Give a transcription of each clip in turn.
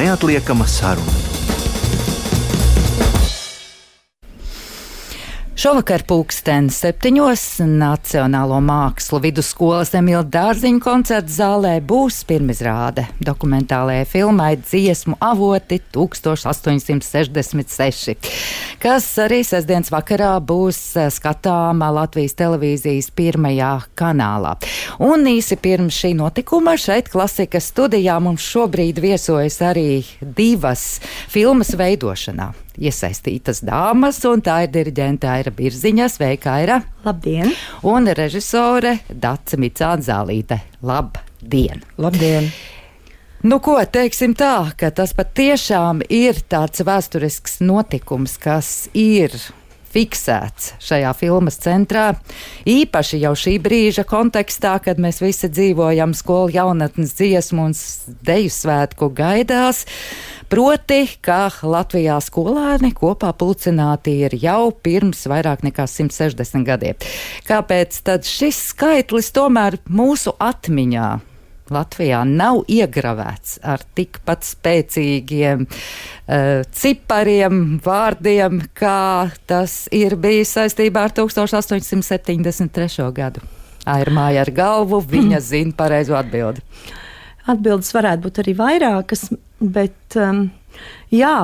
neatliekama saruna. Šovakar 7:00 Nacionālo mākslu vidusskolas Emīla Dārziņa koncerta zālē būs pirmizrāde dokumentālajai filmai Dziesmu avoti 1866, kas arī sestdienas vakarā būs skatāma Latvijas televīzijas pirmajā kanālā. Un īsi pirms šī notikuma šeit Klasikas studijā mums šobrīd viesojas arī divas filmas veidošanā iesaistītas dāmas, un tā ir diriģente Aira Birziņa. Sveika, Aira! Labdien! Un režisore Dace Micāne-Zālīte. Labdien! Labdien! Nu ko, teiksim tā, ka tas patiešām ir tāds vēsturisks notikums, kas ir fiksēts šajā filmas centrā, īpaši jau šī brīža kontekstā, kad mēs visi dzīvojam skolu jaunatnes dziesmu un deju svētku gaidās, proti, ka Latvijā skolēni kopā pulcināti ir jau pirms vairāk nekā 160 gadiem. Kāpēc tad šis skaitlis tomēr mūsu atmiņā Latvijā nav iegravēts ar tikpat spēcīgiem cipariem, vārdiem, kā tas ir bijis saistībā ar 1873. gadu? Aira māja ar galvu, viņa zina pareizo atbildi. Atbildes varētu būt arī vairākas, bet jā,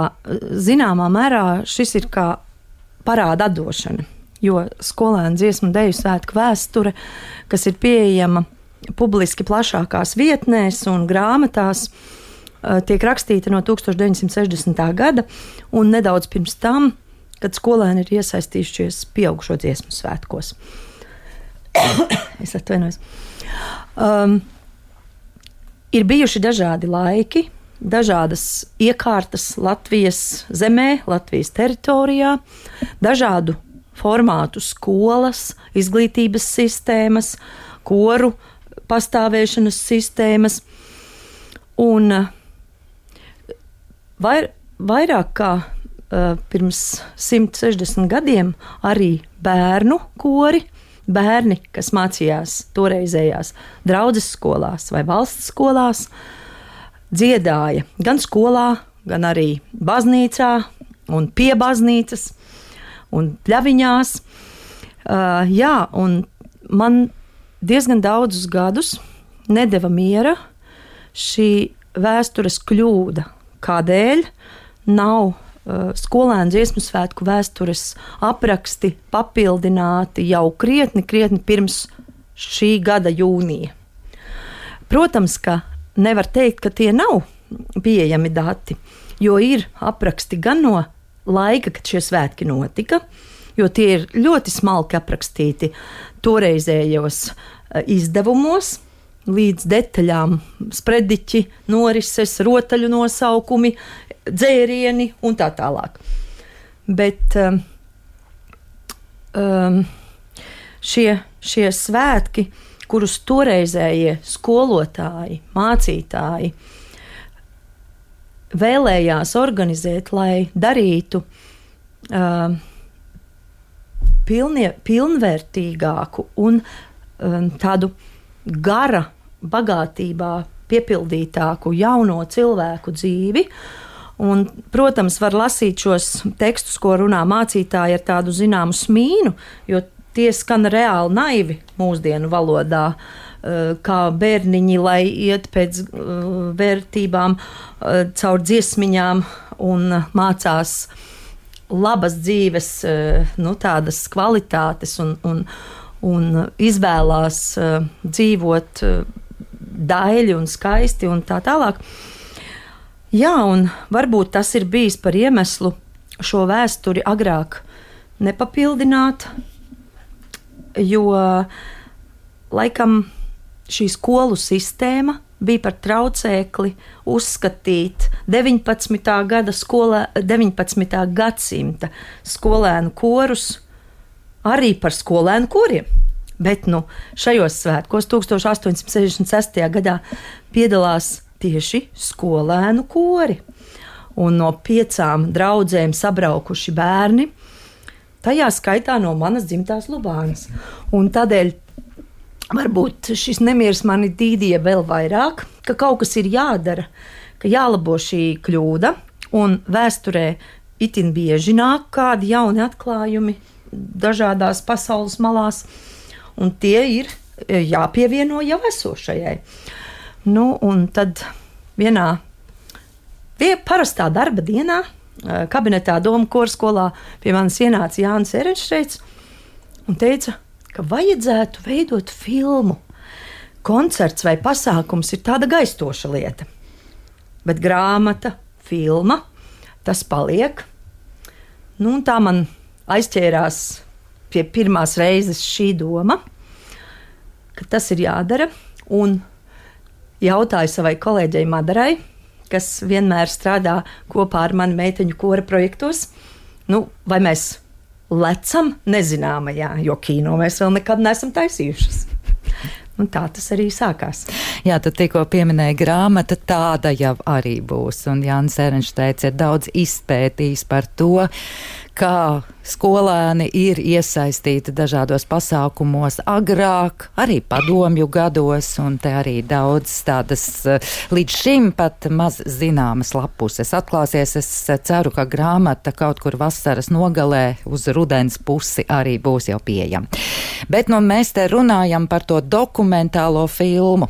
zināmā mērā šis ir kā parāda atdošana, jo skolēnu dziesmu deju svētku vēsture, kas ir pieejama publiski plašākās vietnēs un grāmatās, tiek rakstīta no 1960. gada un nedaudz pirms tam, kad skolēni ir iesaistījušies pieaugušo dziesmu svētkos. Es atvainojos. Ir bijuši dažādi laiki, dažādas iekārtas Latvijas zemē, Latvijas teritorijā, dažādu formātu skolas, izglītības sistēmas, koru pastāvēšanas sistēmas, un vairāk kā pirms 160 gadiem arī bērnu kori, bērni, kas mācījās toreizējās draudzes skolās vai valsts skolās, dziedāja gan skolā, gan arī baznīcā un pie baznīcas un pļaviņās. Jā, un man diezgan daudzus gadus nedeva miera šī vēstures kļūda, kādēļ nav skolēnu dziesmu svētku vēstures apraksti papildināti jau krietni pirms šī gada jūnija. Protams, ka nevar teikt, ka tie nav pieejami dati, jo ir apraksti gan no laika, kad šie svētki notika, jo tie ir ļoti smalki aprakstīti toreizējos izdevumos, līdz detaļām sprediķi, norises, rotaļu nosaukumi, dzērieni un tā tālāk. Bet šie svētki, kurus toreizējie skolotāji, mācītāji vēlējās organizēt, lai darītu pilnvērtīgāku un tādu gara bagātībā piepildītāku jauno cilvēku dzīvi. Un, protams, var lasīt šos tekstus, ko runā mācītāji ar tādu zināmu smīnu, jo tie skan reāli naivi mūsdienu valodā, kā bērniņi, lai iet pēc vērtībām caur dziesmiņām un mācās labas dzīves, tādas kvalitātes un izvēlās dzīvot daļi un skaisti un tā tālāk. Jā, un varbūt tas ir bijis par iemeslu šo vēsturi agrāk nepapildināt, jo laikam šī skolu sistēma bija par traucēkli uzskatīt 19. gadsimta skolēnu korus arī par skolēnu koriem. Bet šajos svētkos 1866. gadā piedalās tieši skolēnu kori. Un no 5 draudzēm sabraukuši bērni, tajā skaitā no manas dzimtās Lubānas. Un tādēļ varbūt šis nemieris mani dīdīja vēl vairāk, ka kaut kas ir jādara, ka jālabo šī kļūda, un vēsturē itin bieži nāk kādi jauni atklājumi dažādās pasaules malās, un tie ir jāpievieno jau esošajai. Nu, un tad vienā parastā darba dienā kabinetā Doma korskolā pie manis ienāca Jānis Ehrenšteits un teica, ka vajadzētu veidot filmu. Koncerts vai pasākums ir tāda gaistoša lieta, bet grāmata, filma, tas paliek. Nu, un tā man aizķērās pie pirmās reizes šī doma, ka tas ir jādara, un jautāju savai kolēģei Madarai, kas vienmēr strādā kopā ar mani meiteņu kora projektos, nu, vai mēs lecam nezināmajā, jo kino mēs vēl nekad neesam taisījušas. Un tā tas arī sākās. Jā, tu tikko pieminēji grāmata, tāda jau arī būs. Un Jānis Ehrenšteits ir daudz izpētījis par to, kā skolēni ir iesaistīti dažādos pasākumos agrāk, arī padomju gados, un te arī daudz tādas līdz šim pat maz zināmas lapuses atklāsies. Es ceru, ka grāmata kaut kur vasaras nogalē uz rudens pusi arī būs jau pieejama. Bet nu mēs te runājam par to dokumentālo filmu.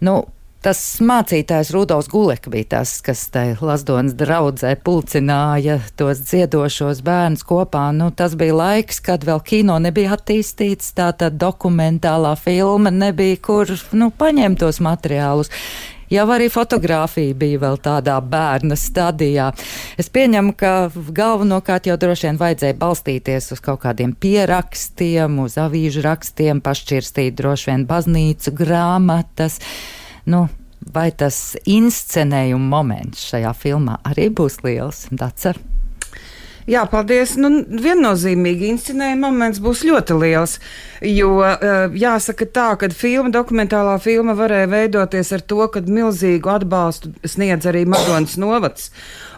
Nu, tas mācītājs Rudolfs Gulek bija tas, kas te Lazdonas draudzē pulcināja tos dziedošos bērnus kopā. Nu, tas bija laiks, kad vēl kino nebija attīstīts, tātad dokumentālā filma nebija, kur paņemt tos materiālus. Jau arī fotografija bija vēl tādā bērna stadijā. Es pieņemu, ka galvenokārt jau droši vien vajadzēja balstīties uz kaut kādiem pierakstiem, uz avīžu rakstiem, pašķirstīt droši vien baznīcu grāmatas. Nu, vai tas inscenējuma moments šajā filmā arī būs liels? Dace? Jā, paldies. Viennozīmīgi inscenējuma moments būs ļoti liels, jo jāsaka tā, ka dokumentālā filma varēja veidoties ar to, kad milzīgu atbalstu sniedz arī Madonas novads.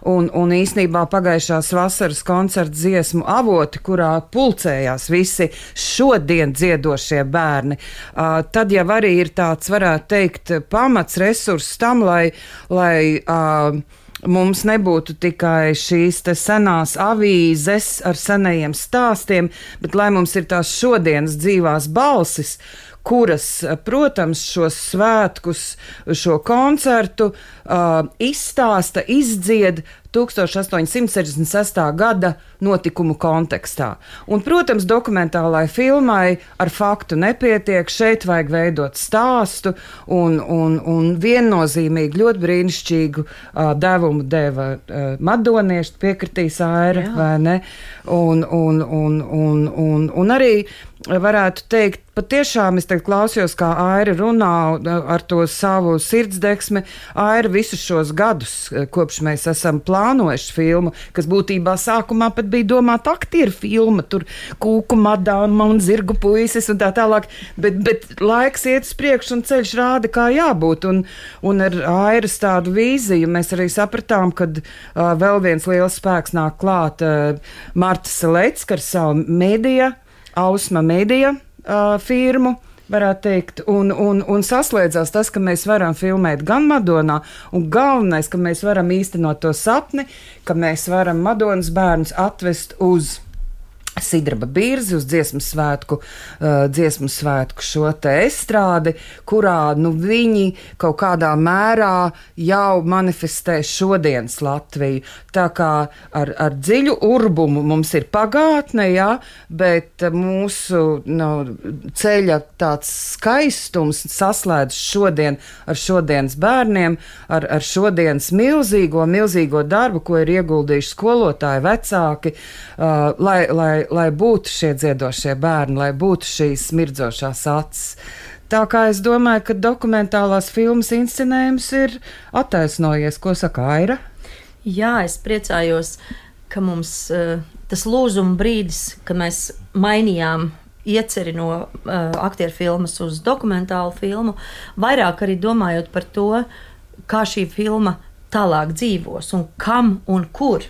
Un īsnībā pagājušās vasaras koncerta dziesmu avoti, kurā pulcējās visi šodien dziedošie bērni, tad jau arī ir tāds, varētu teikt, pamats resurss tam, lai mums nebūtu tikai šīs te senās avīzes ar senajiem stāstiem, bet lai mums ir tās šodienas dzīvās balsis, kuras, protams, šos svētkus, šo koncertu izstāsta, izdzied 1866. Gada notikumu kontekstā. Un, protams, dokumentālai filmai ar faktu nepietiek, šeit vajag veidot stāstu, un viennozīmīgi ļoti brīnišķīgu devumu deva madonieši, piekritīs Aira, vai ne? Un arī varētu teikt, patiešām es klausījos, kā Aira runā ar to savu sirdsdeksmi. Aira visus šos gadus, kopš mēs esam plānojuši filmu, kas būtībā sākumā pat bija domāta aktieru filma, tur Kūku madāma un Zirgu puisis un tā tālāk, bet laiks iet uz priekšu un ceļš rāda, kā jābūt, un ar Airas tādu vīziju mēs arī sapratām, kad vēl viens liels spēks nāk klāt Marta Selecka ar savu medija, Ausma Medija firmu, varētu teikt, un saslēdzās tas, ka mēs varam filmēt gan Madonā, un galvenais, ka mēs varam īstenot to sapni, ka mēs varam Madonas bērnus atvest uz Sidraba Birzi, uz dziesmu svētku šo te estrādi, kurā viņi kaut kādā mērā jau manifestē šodienas Latviju. Tā kā ar dziļu urbumu mums ir pagātne, jā, bet mūsu ceļa tāds skaistums saslēdz šodien ar šodienas bērniem, ar šodienas milzīgo darbu, ko ir ieguldījuši skolotāji, vecāki, lai būtu šie dziedošie bērni, lai būtu šīs smirdzošās acis. Tā kā es domāju, ka dokumentālās filmas inscenējums ir attaisnojies. Ko saka Aira? Jā, es priecājos, ka mums tas lūzuma brīdis, kad mēs mainījām ieceri no aktieru filmas uz dokumentālu filmu, vairāk arī domājot par to, kā šī filma tālāk dzīvos un kam un kur.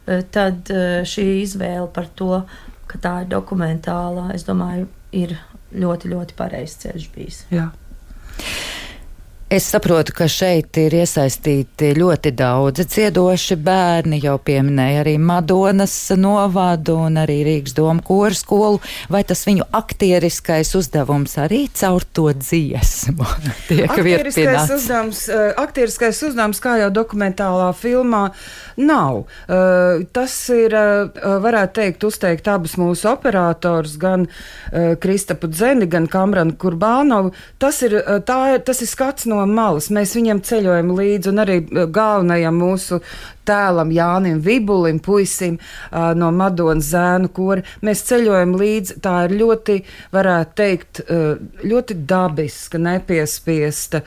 Tad šī izvēle par to, ka tā ir dokumentālā, es domāju, ir ļoti, ļoti pareizs ceļš bijis. Jā. Es saprotu, ka šeit ir iesaistīti ļoti daudzi dziedoši bērni, jau pieminēja arī Madonas novadu un arī Rīgas doma koru skolu. Vai tas viņu aktieriskais uzdevums arī caur to dziesmu tiek virpināts? Aktieriskais uzdevums, kā jau dokumentālā filmā, nav. Tas ir, varētu teikt, uzteikt abus mūsu operators, gan Kristapu Dzeni, gan Kamranu Kurbānovu. Tas ir skats no malas. Mēs viņam ceļojam līdzi, un arī galvenajam mūsu tēlam Jānim Vibulim, puisim no Madonas zēnu kora. Mēs ceļojam līdzi. Tā ir ļoti, varētu teikt, ļoti dabiska, nepiespiesta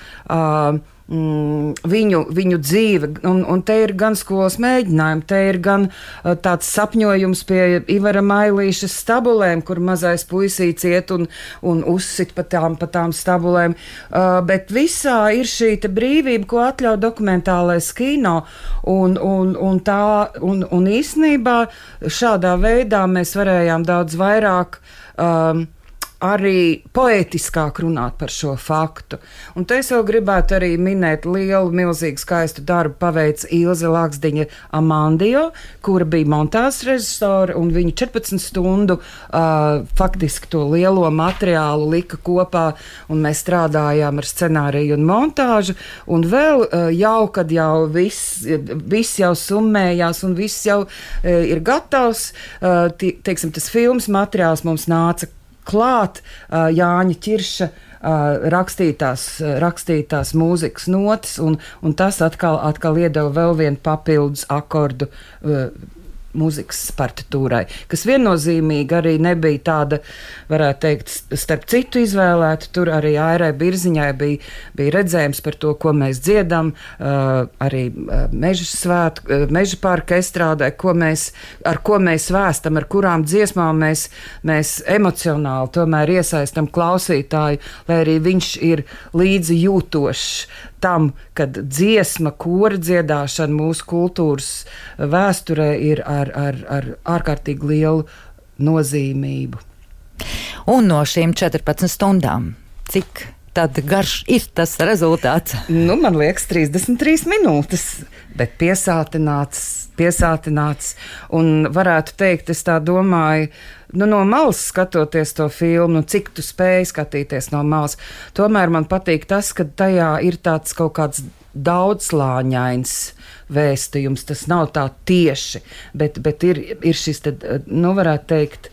viņu dzīve, un te ir gan skolas mēģinājumi, te ir gan tāds sapņojums pie Ivara Mailīša stabulēm, kur mazais puisīts iet un uzsit pa tām stabulēm, bet visā ir šī te brīvība, ko atļauj dokumentālais kino, un īstenībā šādā veidā mēs varējām daudz vairāk arī poētiskāk runāt par šo faktu. Un te es vēl gribētu arī minēt lielu, milzīgu, skaistu darbu paveic Ilze Laksdiņa Amandio, kura bija montāžas režisore, un viņa 14 stundu faktiski to lielo materiālu lika kopā, un mēs strādājām ar scenāriju un montāžu, un vēl kad jau viss jau summējās, un viss jau ir gatavs, teiksim, tas filmas materiāls mums nāca klāt Jāņa Ķirša rakstītās mūzikas notis, un tas atkal iedeva vēl vienu papildus akordu mūzikas partitūrai, kas viennozīmīgi arī nebija tāda, varētu teikt, starp citu izvēlēta. Tur arī Airai Birziņai bija redzējums par to, ko mēs dziedam, arī Meža parka estrādē, ar ko mēs vēstam, ar kurām dziesmām mēs emocionāli tomēr iesaistam klausītāju, lai arī viņš ir līdzi jūtošs tam, kad dziesma, kora dziedāšana mūsu kultūras vēsturē ir ar ārkārtīgi lielu nozīmību. Un no šīm 14 stundām, cik tad garš ir tas rezultāts? Man liekas 33 minūtes, bet piesātināts, un varētu teikt, es tā domāju, no malas skatoties to filmu, cik tu spēji skatīties no malas, tomēr man patīk tas, ka tajā ir tāds kaut kāds daudzslāņains vēstījums, tas nav tā tieši, bet ir šis, varētu teikt,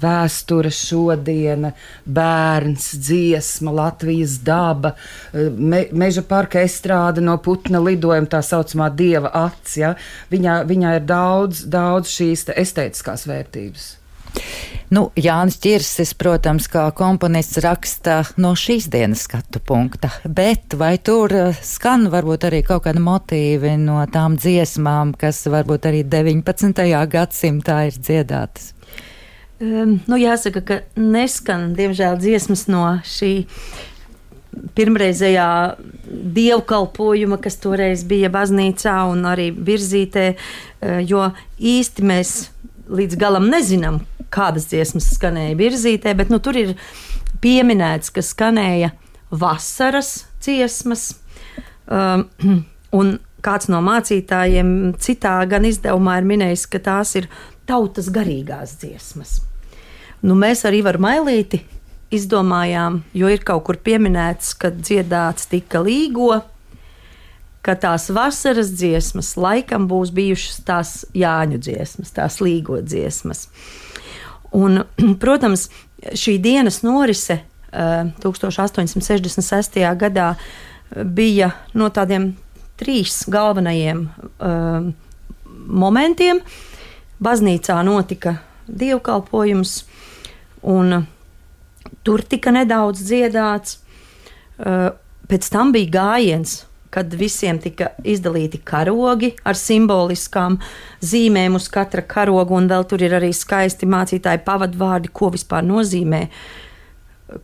vēsture, šodiena, bērns, dziesma, Latvijas daba, Meža parka estrāde no putna lidojuma, tā saucamā dieva acs, ja? Viņā ir daudz šīs estētiskās vērtības. Jānis Ķirsis, protams, kā komponists raksta no šīs dienas skatu punkta, bet vai tur skan varbūt arī kaut kādi motīvi no tām dziesmām, kas varbūt arī 19. gadsimtā ir dziedātas? Jāsaka, ka neskan, diemžēl, dziesmas no šī pirmreizējā dievkalpojuma, kas toreiz bija baznīcā un arī Virzītē, jo īsti mēs līdz galam nezinām, kādas dziesmas skanēja Virzītē, bet tur ir pieminēts, ka skanēja vasaras dziesmas, un kāds no mācītājiem citā gan izdevumā ir minējis, ka tās ir tautas garīgās dziesmas. Mēs ar Ivaru Mailīti izdomājām, jo ir kaut kur pieminēts, ka dziedāts tika Līgo, ka tās vasaras dziesmas laikam būs bijušas tās Jāņu dziesmas, tās Līgo dziesmas. Un, protams, šī dienas norise 1866. gadā bija no tādiem 3 galvenajiem momentiem. Baznīcā notika dievkalpojums, un tur tika nedaudz dziedāts. Pēc tam bija gājiens, kad visiem tika izdalīti karogi ar simboliskām zīmēm uz katra karoga, un vēl tur ir arī skaisti mācītāji pavadvārdi, ko vispār nozīmē,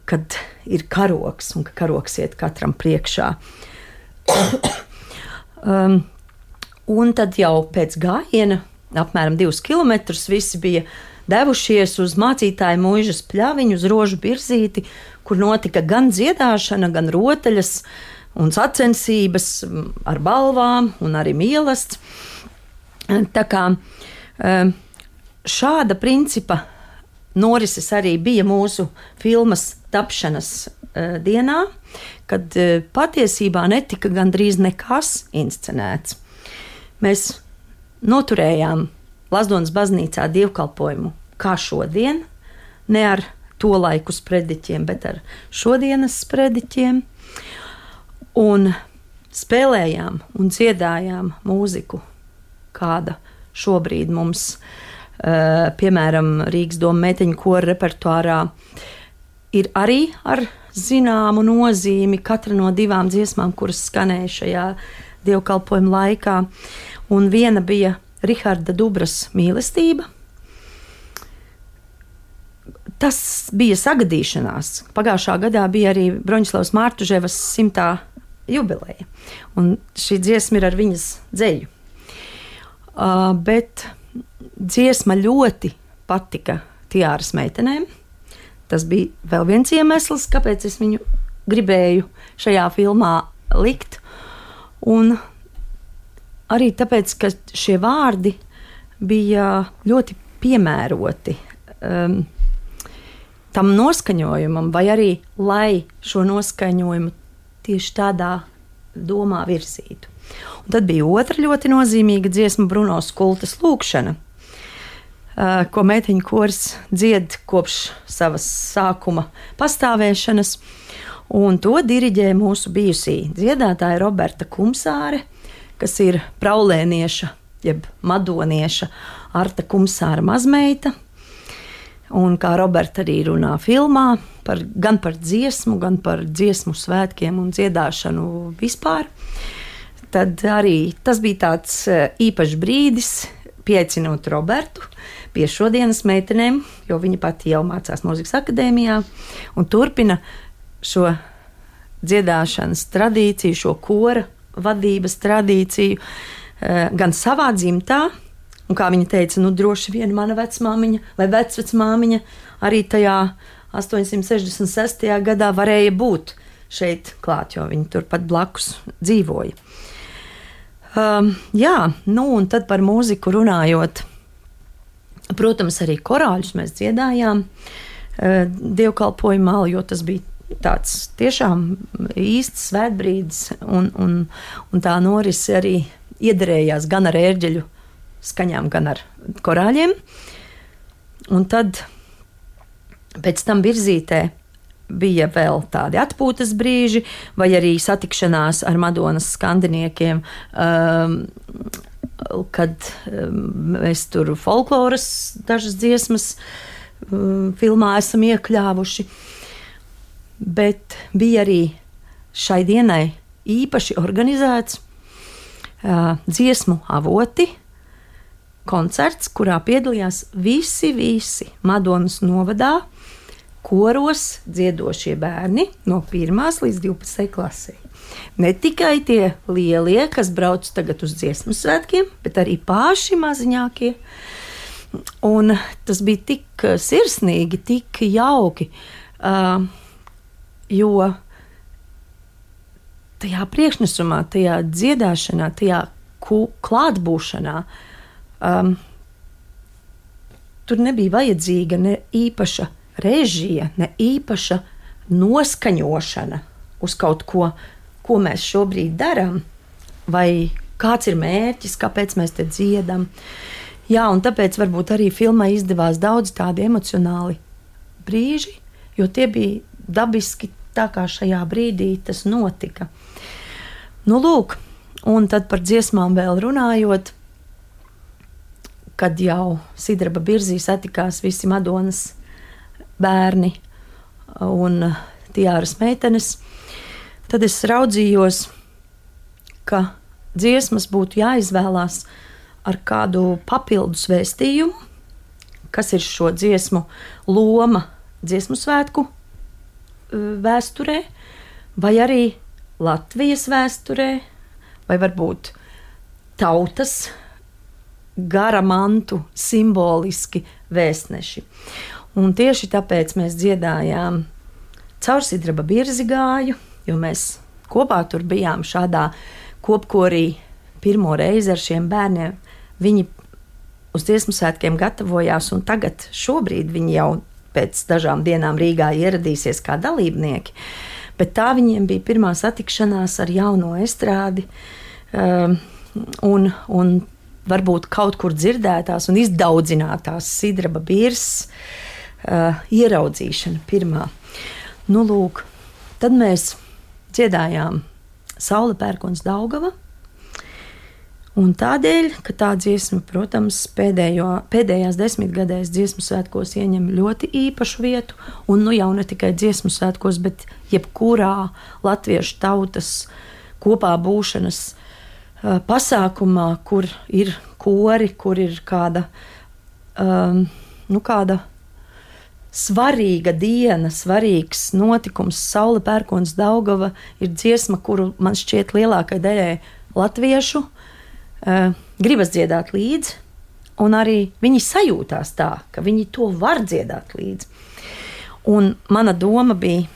kad ir karogs un ka karogs iet katram priekšā. Un tad jau pēc gājiena apmēram 2 kilometrus visi bija devušies uz mācītāju mūžas pļaviņu, uz Rožu Birzīti, kur notika gan dziedāšana, gan rotaļas, un sacensības ar balvām un arī mīlestību. Tā kā šāda principa norises arī bija mūsu filmas tapšanas dienā, kad patiesībā netika gandrīz nekas inscenēts. Mēs noturējām Lazdonas baznīcā dievkalpojumu kā šodien, ne ar to laiku sprediķiem, bet ar šodienas sprediķiem, un spēlējām un dziedājām mūziku, kāda šobrīd mums, piemēram, Rīgas doma meiteņu kora repertuārā ir arī ar zināmu nozīmi, katra no 2 dziesmām, kuras skanēja šajā dievkalpojuma laikā, un viena bija Riharda Dubras Mīlestība. Tas bija sagadīšanās. Pagājušā gadā bija arī Broņislavas Mārtuževas 100. jubileja, un šī dziesma ir ar viņas dzeļu. Bet dziesma ļoti patika Tiāras meitenēm. Tas bija vēl viens iemesls, kāpēc es viņu gribēju šajā filmā likt. Un arī tāpēc, ka šie vārdi bija ļoti piemēroti tam noskaņojumam, vai arī, lai šo noskaņojumu tieši tādā domā virzītu. Un tad bija otra ļoti nozīmīga dziesma, Bruno Skultas Lūkšana, ko meiteņu kors dzied kopš savas sākuma pastāvēšanas, un to diriģē mūsu bijusī dziedātāja Roberta Kumsāre, kas ir praulēnieša, jeb madonieša Arta Kumsāra mazmeita, un kā Roberta arī runā filmā, gan par dziesmu, gan par dziesmu svētkiem un dziedāšanu vispār. Tad arī tas bija tāds īpašs brīdis, pieaicinot Robertu pie šodienas meitenēm, jo viņa pati jau mācās mūzikas akadēmijā un turpina šo dziedāšanas tradīciju, šo kora vadības tradīciju gan savā dzimtā, un kā viņa teica, droši vien mana vecmāmiņa vai vecvecmāmiņa arī tajā 866. gadā varēja būt šeit klāt, jo viņa turpat blakus dzīvoja. Un tad par mūziku runājot, protams, arī korāļus mēs dziedājām dievkalpojumā, jo tas bija tāds tiešām īsts svētbrīdis, un tā norise arī iederējās gan ar ērģeļu skaņām, gan ar korāļiem. Un tad pēc tam virzītē bija vēl tādi atpūtas brīži, vai arī satikšanās ar Madonas skandiniekiem, kad mēs tur folkloras dažas dziesmas filmā esam iekļāvuši. Bet bija arī šai dienai īpaši organizēts dziesmu avoti koncerts, kurā piedalījās visi Madonas novadā koros dziedošie bērni no 1. līdz 12. klasei. Ne tikai tie lielie, kas brauc tagad uz dziesmu svētkiem, bet arī paši maziņākie. Un tas bija tik sirsnīgi, tik jauki, jo tajā priekšnesumā, tajā dziedāšanā, tajā klātbūšanā tur nebija vajadzīga ne īpaša režija, ne īpaša noskaņošana uz kaut ko, ko mēs šobrīd darām, vai kāds ir mērķis, kāpēc mēs te dziedam. Jā, un tāpēc varbūt arī filmai izdevās daudz tādi emocionāli brīži, jo tie bija dabiski tā, kā šajā brīdī tas notika. Lūk, un tad par dziesmām vēl runājot, kad jau Sidraba Birzī satikās visi Madonas bērni un Tiāras meitenes, tad es raudzījos, ka dziesmas būtu jāizvēlās ar kādu papildus vēstījumu, kas ir šo dziesmu loma dziesmu svētku vēsturē, vai arī Latvijas vēsturē, vai varbūt tautas gara mantu simboliski vēstneši. Un tieši tāpēc mēs dziedājām Caur Sidraba Birzi gāju, jo mēs kopā tur bijām šādā kopkorī pirmo reizi ar šiem bērniem. Viņi uz dziesmu svētkiem gatavojās, un tagad šobrīd viņi jau pēc dažām dienām Rīgā ieradīsies kā dalībnieki. Bet tā viņiem bija pirmā satikšanās ar jauno estrādi un varbūt kaut kur dzirdētās un izdaudzinātās Sidraba Birs ieraudzīšana pirmā. Nu, lūk, tad mēs dziedājām Saule pērkons Daugava. Un tādēļ, ka tā dziesma, protams, pēdējās 10 gadēs dziesmu svētkos ieņem ļoti īpašu vietu, un nu jau ne tikai dziesmu svētkos, bet jebkurā latviešu tautas kopā būšanas pasākumā, kur ir kori, kur ir kāda svarīga diena, svarīgs notikums. Saule pērkons Daugava ir dziesma, kuru man šķiet lielākai daļai latviešu gribas dziedāt līdzi, un arī viņi sajūtās tā, ka viņi to var dziedāt līdzi. Un mana doma bija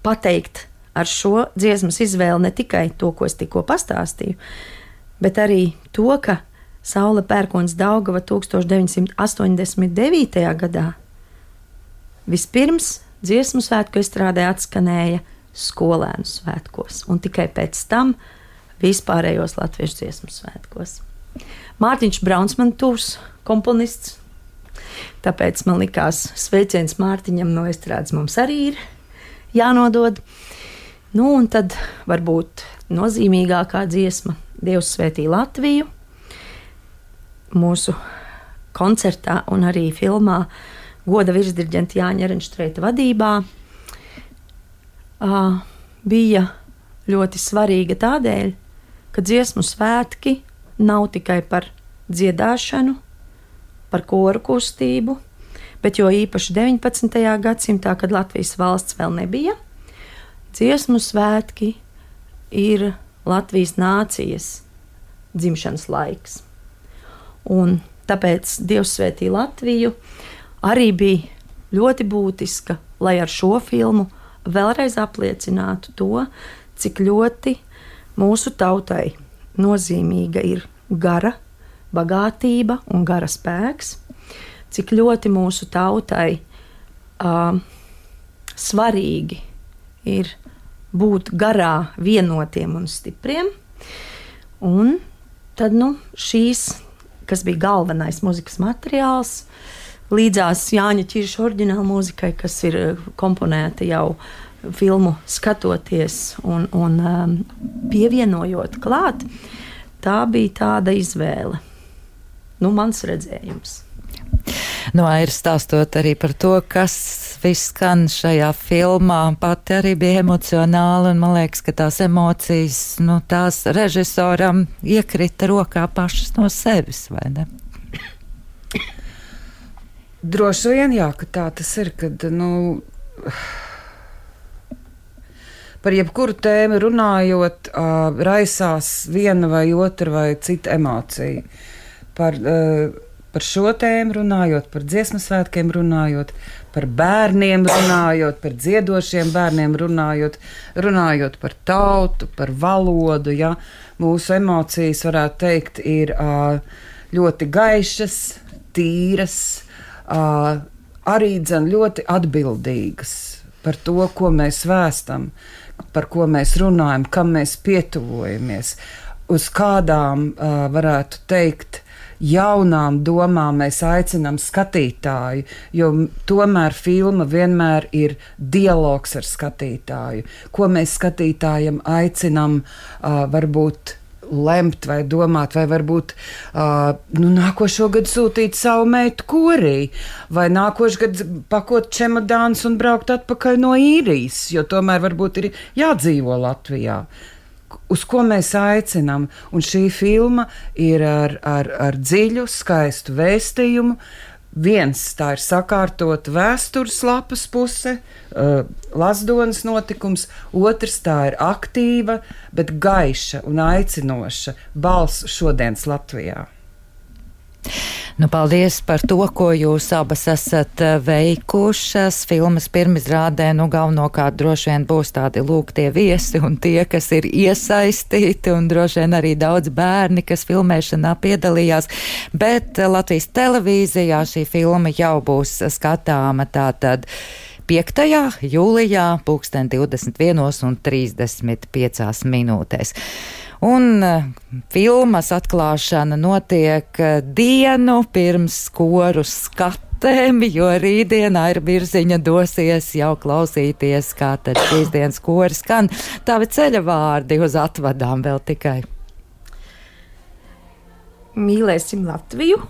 pateikt ar šo dziesmas izvēli ne tikai to, ko es tikko pastāstīju, bet arī to, ka Saule pērkons Daugava 1989. gadā vispirms dziesmu svētku estrādē atskanēja skolēnu svētkos, un tikai pēc tam vispārējos latviešu dziesmu svētkos. Mārtiņš Brauns man tuvs komponists, tāpēc man likās sveiciens Mārtiņam no estrādes mums arī ir jānodod. Nu, un tad varbūt nozīmīgākā dziesma Dievs svētī Latviju mūsu koncertā un arī filmā goda virsdirģenta Jāņa Ehrenštreita vadībā bija ļoti svarīga tādēļ, ka dziesmu svētki nav tikai par dziedāšanu, par koru kustību, bet jo īpaši 19. gadsimtā, kad Latvijas valsts vēl nebija, dziesmu svētki ir Latvijas nācijas dzimšanas laiks. Un tāpēc Dievs svētī Latviju arī bija ļoti būtiska, lai ar šo filmu vēlreiz apliecinātu to, cik ļoti mūsu tautai nozīmīga ir gara bagātība un gara spēks, cik ļoti mūsu tautai svarīgi ir būt garā vienotiem un stipriem. Un tad šīs, kas bija galvenais mūzikas materiāls, līdzās Jāņa Čirša oriģināla mūzikai, kas ir komponēta jau filmu skatoties un pievienojot klāt, tā bija tāda izvēle. Mans redzējums. Aira stāstot arī par to, kas viss skan šajā filmā, pati arī bija emocionāla, un man liekas, ka tās emocijas, tās režisoram iekrita rokā pašas no sevis, vai ne? Droši vien, jā, ka tā tas ir, kad, par jebkuru tēmu runājot, raisās viena vai otra vai cita emocija. Par šo tēmu runājot, par dziesmu svētkiem runājot, par bērniem runājot, par dziedošiem bērniem runājot par tautu, par valodu, ja. Mūsu emocijas, varētu teikt, ir ļoti gaišas, tīras, arī ļoti atbildīgas par to, ko mēs vēstam, par ko mēs runājam, kam mēs pietuvojamies, uz kādām, varētu teikt, jaunām domām mēs aicinām skatītāju, jo tomēr filma vienmēr ir dialogs ar skatītāju, ko mēs skatītājam aicinām varbūt lemt vai domāt, vai varbūt nākošo gadu sūtīt savu meitu korī, vai nākošo gadu pakot čemodānus un braukt atpakaļ no Īrijas, jo tomēr varbūt ir jādzīvo Latvijā. Uz ko mēs aicinām, un šī filma ir ar dziļu, skaistu vēstījumu. Viens, tā ir sakārtot vēstures lapas puse, Lazdonas notikums, otrs, tā ir aktīva, bet gaiša un aicinoša balss šodienas Latvijā. Nu, paldies par to, ko jūs abas esat veikušas. Filmas pirmizrādē, galvenokārt droši vien būs tādi tie viesi un tie, kas ir iesaistīti, un droši vien arī daudz bērni, kas filmēšanā piedalījās. Bet Latvijas televīzijā šī filma jau būs skatāma tātad 5. jūlijā, 21:35 minūtēs. Un filmas atklāšana notiek dienu pirms koru skatēm, jo rītdien Aira Birziņa dosies jau klausīties, kā tad šīs dienas kori skan. Tavi ceļa vārdi uz atvadām vēl tikai. Mīlēsim Latviju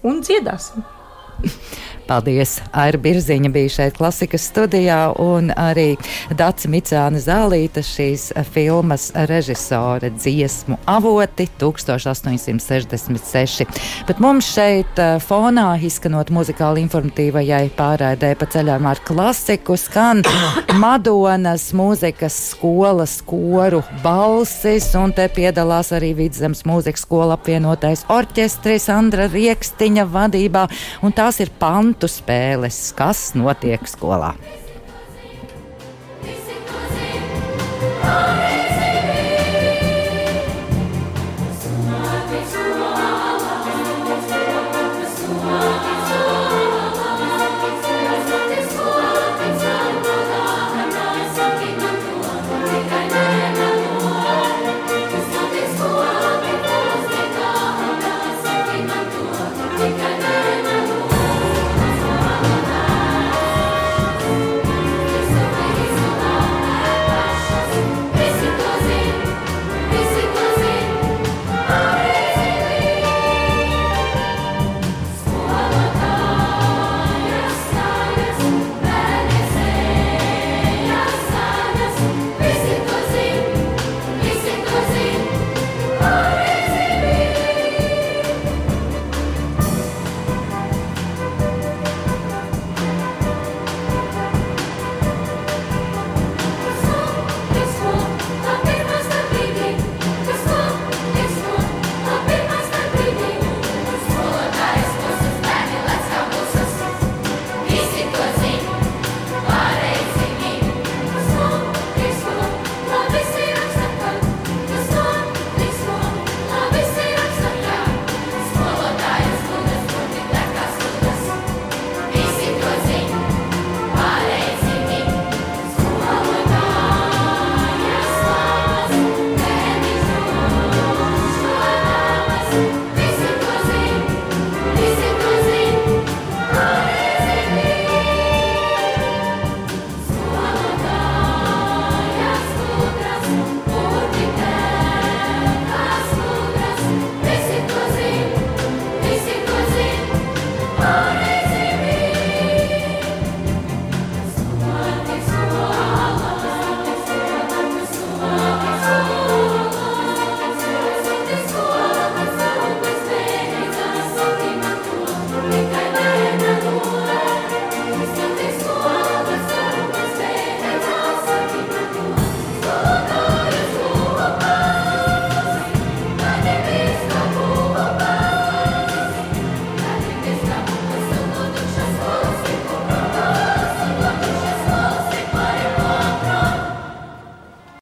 un dziedāsim. Paldies! Aira Birziņa bija šeit Klasikas studijā, un arī Dace Micāne Zālīta, šīs filmas režisore, dziesmu avoti 1866. Bet mums šeit fonā, izskanot muzikāli informatīvajai pārraidē pa ceļām ar klasiku, skan Madonas mūzikas skolas koru balsis, un te piedalās arī Vidzemes mūzikas skola apvienotais orķestris Andra Riekstiņa vadībā, un tās ir pantu spēles, kas notiek skolā.